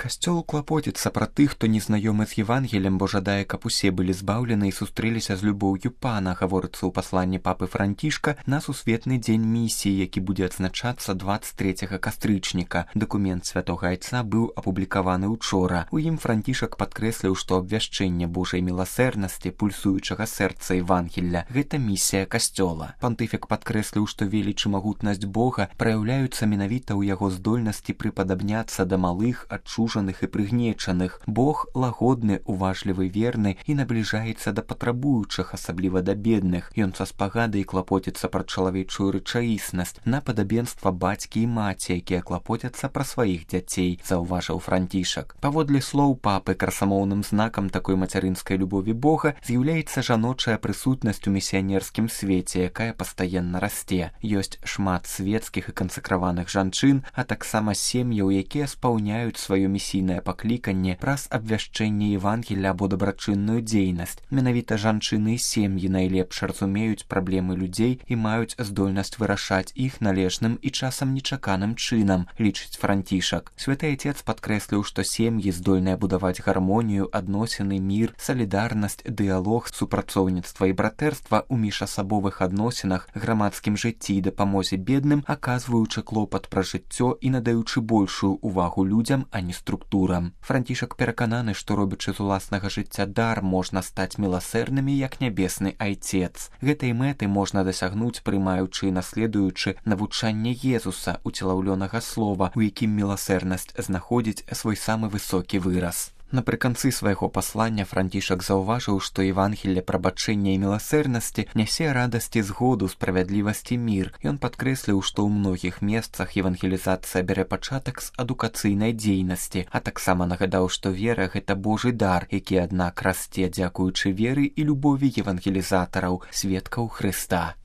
Касцёл клапоціцца пра тых, хто незнаёмы з Евангелем, бо жадае, каб усе былі збаўлены і сустрэліся з любоўю Пана, гаворыцца ў пасланні папы Францішка на сусветны дзень місіі, які будзе адзначацца 23 кастрычніка. Дакумент святога айца быў апублікаваны учора. У ім Францішак падкрэсліў, што абвяшчэнне Божай міласэрнасці, пульсуючага сэрца Евангелля – гэта місія касцёла. Пантыфік падкрэсліў, што веліч і магутнасць Бога праяўляюцца менавіта ў яго здольнасці прыпадабняцца да малых, адчужаных і прыгнечаных. Бог лагодны, уважлівы, верны і набліжаецца да патрабуючых, асабліва да бедных. Ён са спагадай клапоціцца пра чалавечую рэчаіснасць, на падабенства бацькі і маці, якія клапоцяцца пра сваіх дзяцей, заўважыў Францішак. Паводле слоў папы, красамоўным знакам такой мацярынскай любові Бога з'яўляецца жаночая прысутнасць у місіянерскім свеце, якая пастаянна расце. Ёсць шмат светскіх і кансакраваных жанчын, а таксама сем'яў, якія спаўняюць сваё місійнае пакліканне праз абвяшчэнне Евангелля або дабрачынную дзейнасць. Менавіта жанчыны і сем'і найлепш разумеюць праблемы людзей і маюць здольнасць вырашаць іх належным і часам нечаканым чынам, лічыць Францішак. Святы Айцец падкрэсліў, што сем'і здольныя будаваць гармонію, адносіны, мір, салідарнасць, дыялог, супрацоўніцтва і братэрства ў міжасабовых адносінах, грамадскім жыцці і дапамозе бедным, аказваючы клопат пра жыццё і надаючы большую увагу людзям, а не структурам. Францішак перакананы, што робячы з уласнага жыцця дар, можна стаць міласэрнымі, як нябесны Айцец. Гэтай мэты можна дасягнуць, прымаючы і наследуючы навучанне Езуса, уцелаўлёнага слова, у якім міласэрнасць знаходзіць свой самы высокі выраз. Напрыканцы свайго паслання Францішак заўважыў, што Евангелле прабачэння і міласэрнасці нясе радасць і згоду, справядлівасць і мір. Ён падкрэсліў, што ў многіх месцах евангелізацыя бярэ пачатак з адукацыйнай дзейнасці, а таксама нагадаў, што вера – гэта Божы дар, які, аднак, расце дзякуючы веры і любові евангелізатараў, сведкаў Хрыста.